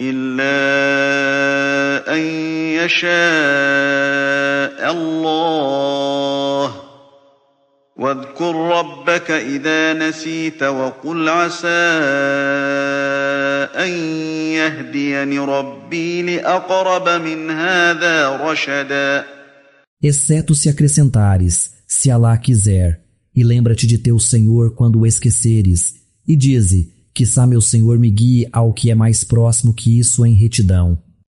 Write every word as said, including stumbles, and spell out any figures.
إلا أن يشاء الله واذكر ربك إذا نسيت وقل عسى أن يهديني ربي لأقرب من هذا رشدا. Exceto se acrescentares, se Alá quiser, e lembra-te de teu Senhor quando o esqueceres, e dize, quiçá meu Senhor me guie ao que é mais próximo que isso em retidão.